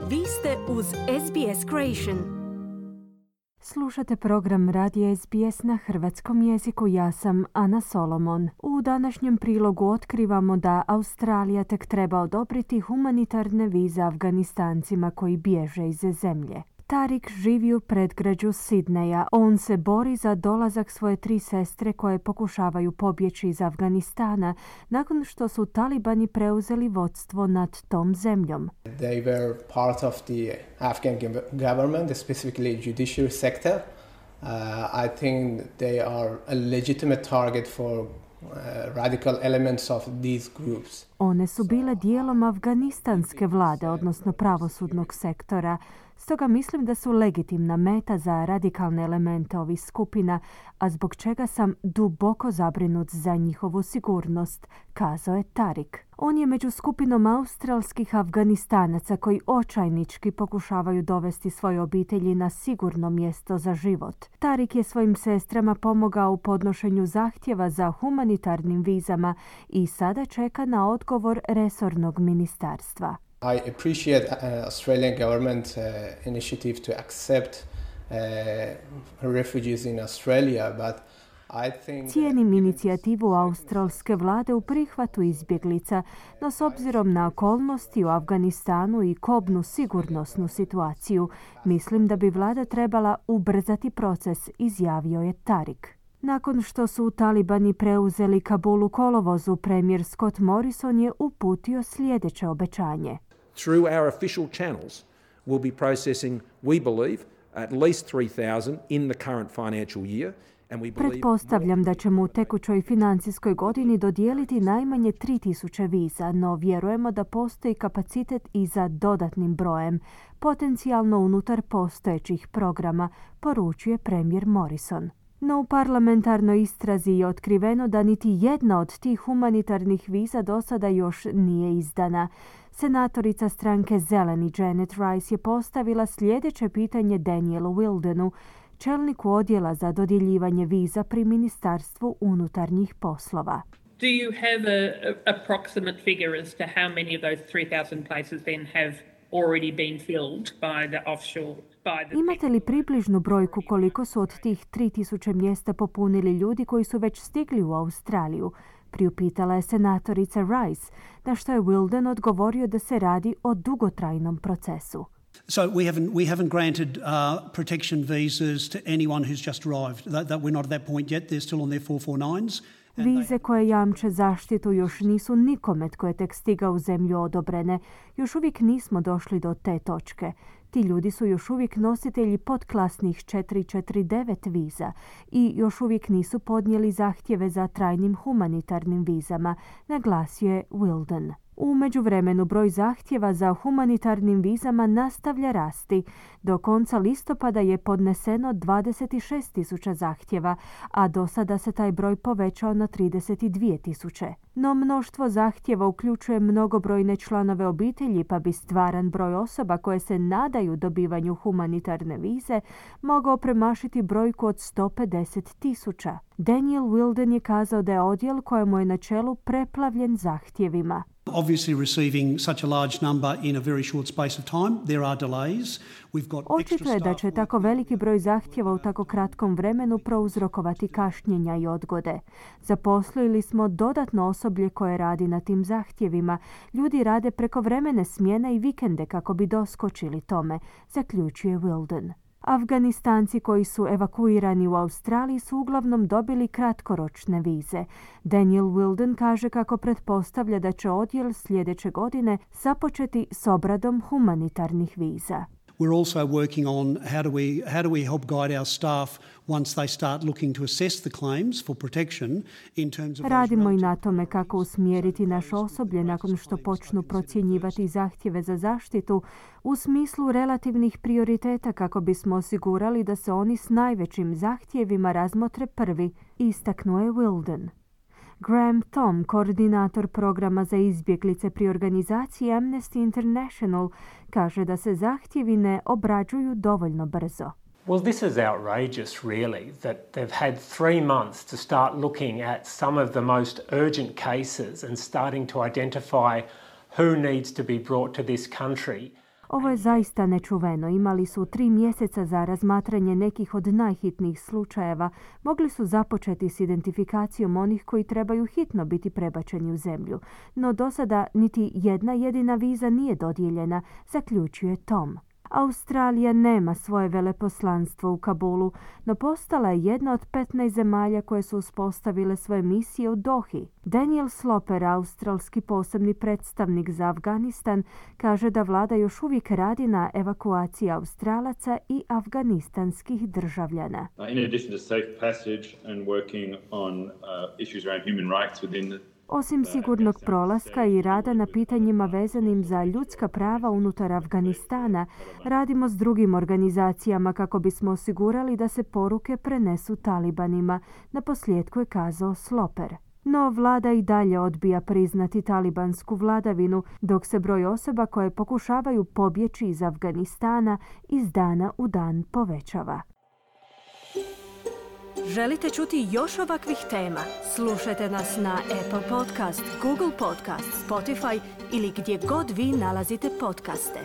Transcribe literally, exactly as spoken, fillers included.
Vi ste uz S B S Creation. Slušate program Radija S B S na hrvatskom jeziku. Ja sam Ana Solomon. U današnjem prilogu otkrivamo da Australija tek treba odobriti humanitarne vize Afganistancima koji bježe iz zemlje. Tarik živi u predgrađu Sidneja. On se bori za dolazak svoje tri sestre koje pokušavaju pobjeći iz Afganistana nakon što su talibani preuzeli vodstvo nad tom zemljom. They were part of the Afghan government, specifically judiciary sector. Uh, I think they are a legitimate target for uh, radical elements of these groups. One su bile dijelom afganistanske vlade, odnosno pravosudnog sektora. Stoga mislim da su legitimna meta za radikalne elemente ovih skupina, a zbog čega sam duboko zabrinut za njihovu sigurnost, kazao je Tarik. On je među skupinom australskih Afganistanaca koji očajnički pokušavaju dovesti svoje obitelji na sigurno mjesto za život. Tarik je svojim sestrama pomogao u podnošenju zahtjeva za humanitarnim vizama i sada čeka na odgovor resornog ministarstva. I appreciate uh, Australian government uh, initiative to accept uh, refugees in Australia, but I think Cijenim inicijativu australske vlade u prihvatu izbjeglica, no s obzirom na okolnosti u Afganistanu i kobnu sigurnosnu situaciju, mislim da bi vlada trebala ubrzati proces, izjavio je Tarik. Nakon što su talibani preuzeli Kabul u kolovozu, premijer Scott Morrison je uputio sljedeće obećanje. Through our official channels, we'll be processing, we believe, at least three thousand in the current financial year. And we believe... Pretpostavljam da ćemo u tekućoj financijskoj godini dodijeliti najmanje tri tisuće viza, no vjerujemo da postoji kapacitet i za dodatnim brojem, potencijalno unutar postojećih programa, poručuje premijer Morrison. No u parlamentarnoj istrazi je otkriveno da niti jedna od tih humanitarnih viza do sada još nije izdana. Senatorica stranke Zeleni Janet Rice je postavila sljedeće pitanje Danielu Wildenu, čelniku odjela za dodjeljivanje viza pri Ministarstvu unutarnjih poslova. Do you have a, a approximate figure as to how many of those three thousand places then have already been filled by the offshore? Imate li približnu brojku koliko su od tih tri tisuće mjesta popunili ljudi koji su već stigli u Australiju? Priupitala je senatorica Rice, na što je Wilden odgovorio da se radi o dugotrajnom procesu. So we haven't we haven't granted uh, protection visas to anyone who's just arrived. That, that we're not at that point yet. They're still on their four forty-nines. Vize koje jamče zaštitu još nisu nikome tko je tek stigao u zemlju odobrene. Još uvijek nismo došli do te točke. Ti ljudi su još uvijek nositelji podklasnih četiri četiri devet viza i još uvijek nisu podnijeli zahtjeve za trajnim humanitarnim vizama, naglasio je Wilden. U međuvremenu broj zahtjeva za humanitarnim vizama nastavlja rasti. Do konca listopada je podneseno dvadeset šest tisuća zahtjeva, a do sada se taj broj povećao na trideset dvije tisuće. No mnoštvo zahtjeva uključuje mnogobrojne članove obitelji, pa bi stvaran broj osoba koje se nadaju dobivanju humanitarne vize mogao premašiti brojku od sto pedeset tisuća. Daniel Wilden je kazao da je odjel kojemu je na čelu preplavljen zahtjevima. Obviously receiving such a large number in a very short space of time, there are delays. We've got Očito je da će tako veliki broj zahtjeva u tako kratkom vremenu prouzrokovati kašnjenja i odgode. Zaposlili smo dodatno osoblje koje radi na tim zahtjevima. Ljudi rade prekovremene smjene i vikende kako bi doskočili tome, zaključuje Wilden. Afganistanci koji su evakuirani u Australiji su uglavnom dobili kratkoročne vize. Daniel Wilden kaže kako pretpostavlja da će odjel sljedeće godine započeti s obradom humanitarnih viza. We're also working on how do we how do we help guide our staff once they start looking to assess the claims for protection in terms of Radimo i na tome kako usmjeriti naše osoblje nakon što počnu procjenjivati zahtjeve za zaštitu u smislu relativnih prioriteta kako bismo osigurali da se oni s najvećim zahtjevima razmotre prvi, istaknuo je Wilden. Graham Thom, koordinator programa za izbjeglice pri organizaciji Amnesty International, kaže da se zahtjevi ne obrađuju dovoljno brzo. Well, this is outrageous, really, that they've had three months to start looking at some of the most urgent cases and starting to identify who needs to be brought to this country. Ovo je zaista nečuveno. Imali su tri mjeseca za razmatranje nekih od najhitnijih slučajeva. Mogli su započeti s identifikacijom onih koji trebaju hitno biti prebačeni u zemlju. No do sada niti jedna jedina viza nije dodijeljena, zaključuje Tom. Australija nema svoje veleposlanstvo u Kabulu, no postala je jedna od petnaest zemalja koje su uspostavile svoje misije u Dohi. Daniel Sloper, australski posebni predstavnik za Afganistan, kaže da vlada još uvijek radi na evakuaciji Australaca i afganistanskih državljana. In addition to safe passage and working on uh, issues around human rights within the Osim sigurnog prolaska i rada na pitanjima vezanim za ljudska prava unutar Afganistana, radimo s drugim organizacijama kako bismo osigurali da se poruke prenesu talibanima, naposljetku je kazao Sloper. No vlada i dalje odbija priznati talibansku vladavinu, dok se broj osoba koje pokušavaju pobjeći iz Afganistana iz dana u dan povećava. Želite čuti još ovakvih tema? Slušajte nas na Apple Podcast, Google Podcast, Spotify ili gdje god vi nalazite podcaste.